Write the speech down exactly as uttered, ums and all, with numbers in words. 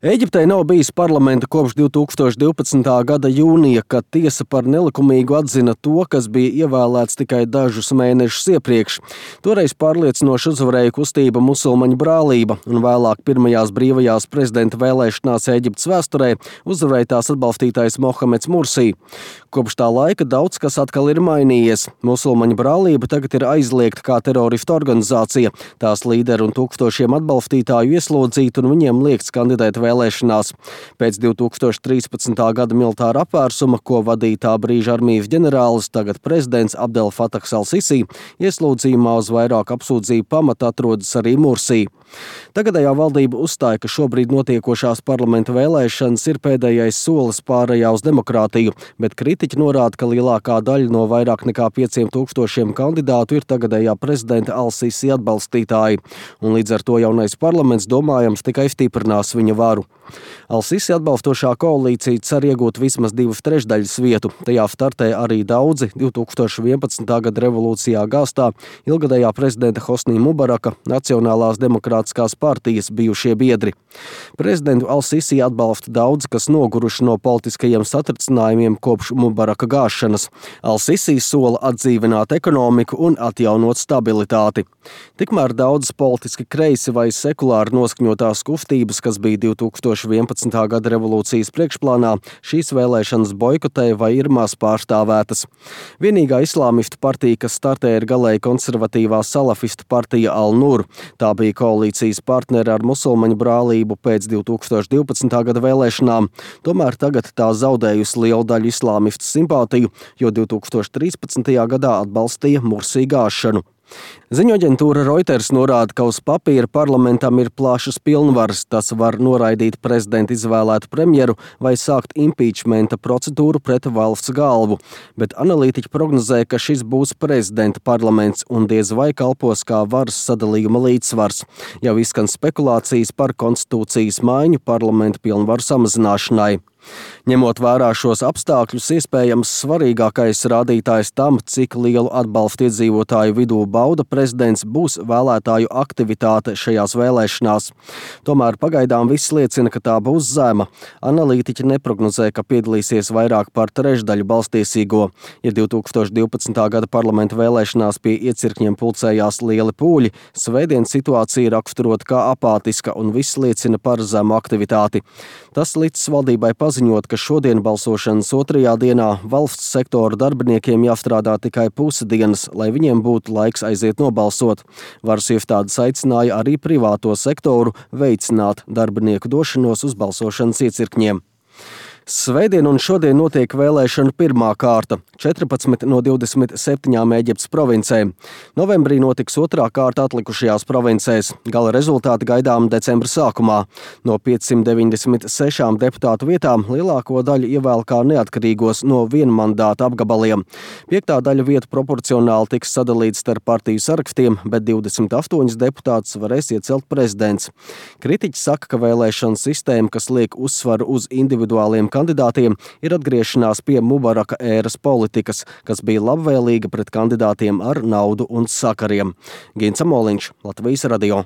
Ēģiptei nav bijis parlamenta kopš divi tūkstoši divpadsmitā gada jūnija, kad tiesa par nelikumīgu atzina to, kas bija ievēlēts tikai dažus mēnešus iepriekš. Toreiz pārliecinoši uzvarēja kustība Musulmaņu brālība, un vēlāk pirmajās brīvajās prezidenta vēlēšanās Ēģiptes vēsturē uzvarēja tās atbalstītājs Mohameds Mursī. Kopš tā laika daudz kas atkal ir mainījies. Musulmaņu brālība tagad ir aizliegta kā teroristu organizācija. Tās līderi un tūkstošiem atbalstītāju ieslodzīti, un viņiem liegts kandidēt vēlēšanās. Pēc divi tūkstoši trīspadsmitā gada militāra apvērsuma, ko vadīja tā brīža armijas ģenerālis, tagad prezidents Abdel Fatahs al-Sisi, ieslodzījumā uz vairāku apsūdzību pamata atrodas arī Mursī. Tagadējā valdība uzstāja, ka šobrīd notiekošās parlamenta vēlēšanas ir pēdējais solis pārējā uz demokrātiju, bet kritiķi norāda, ka lielākā daļa no vairāk nekā pieciem tūkstošiem kandidātu ir tagadējā prezidenta al-Sisi atbalstītāji, un līdz ar to jaunais parlaments domājams tikai stiprinās viņa varu. Al-Sisi atbalstošā koalīcija cer iegūt vismaz divas trešdaļas vietu. Tajā startē arī daudzi divi tūkstoši vienpadsmitā gada revolūcijā gāstā ilgadējā prezidenta Hosnī Mubaraka Nacionālās demokrātiskās partijas bijušie biedri. Prezidentu al-Sisi atbalsta daudzi, kas noguruši no politiskajiem satricinājumiem kopš Mubaraka gāšanas. Al-Sisi sola atdzīvināt ekonomiku un atjaunot stabilitāti. Tikmēr daudzas politiski kreisi vai sekulāri noskaņotās kustības, kas bija divi tūkstoši vienpadsmitā gada revolūcijas priekšplānā, šīs vēlēšanas boikotēja vai ir maz pārstāvētas. Vienīgā islāmistu partija, kas startē, ir galēji konservatīvā salafistu partija Al-Nur. Tā bija koalīcijas partneri ar Musulmaņu brālību pēc divi tūkstoši divpadsmitā gada vēlēšanām. Tomēr tagad tā zaudējusi lielu daļu islāmistu simpātiju, jo divi tūkstoši trīspadsmitajā gadā atbalstīja Mursī gāšanu. Ziņoaģentūra Reuters norāda, ka uz papīra parlamentam ir plašas pilnvaras. Tas var noraidīt prezidenta izvēlētu premjeru vai sākt impeachmenta procedūru pret valsts galvu. Bet analītiķi prognozē, ka šis būs prezidenta parlaments un diez vai kalpos kā varas sadalījuma līdzsvars. Jau izskan spekulācijas par konstitūcijas maiņu parlamenta pilnvaru samazināšanai. Ņemot vērā šos apstākļus, iespējams svarīgākais rādītājs tam, cik lielu atbalstu iedzīvotāju vidū bauda prezidents, būs vēlētāju aktivitāte šajās vēlēšanās. Tomēr pagaidām viss liecina, ka tā būs zema. Analītiķi neprognozē, ka piedalīsies vairāk par trešdaļu balstiesīgo. Ja divi tūkstoši divpadsmitā gada parlamenta vēlēšanās pie iecirkņiem pulcējās lieli pūļi, svētdien situācija raksturot kā apātiska un viss liecina par zemu aktivitāti. Tas līdz valdībai paziņot, ka šodien balsošanas otrajā dienā valsts sektora darbiniekiem jāstrādā tikai pusi dienas, lai viņiem būtu laiks aiziet nobalsot. Varas iestādes aicināja arī privāto sektoru veicināt darbinieku došanos uz balsošanas iecirkņiem. Svētdien un šodien notiek vēlēšanu pirmā kārta – četrpadsmit no divdesmit septiņām Ēģiptes provincēm. Novembrī notiks otrā kārta atlikušajās provincēs. Gala rezultāti gaidām decembra sākumā. No piecsimt deviņdesmit sešām deputātu vietām lielāko daļu ievēl kā neatkarīgos no vienmandāta apgabaliem. Piektā daļa vietu proporcionāli tiks sadalīts starp partiju sarakstiem, bet divdesmit astoņus deputātus varēs iecelt prezidents. Kritiķi saka, ka vēlēšana sistēma, kas liek uzsvaru uz individuāliem kandidātiem, ir atgriešanās pie Mubaraka ēras politikas, kas bija labvēlīga pret kandidātiem ar naudu un sakariem. Gins Amoliņš, Latvijas radio.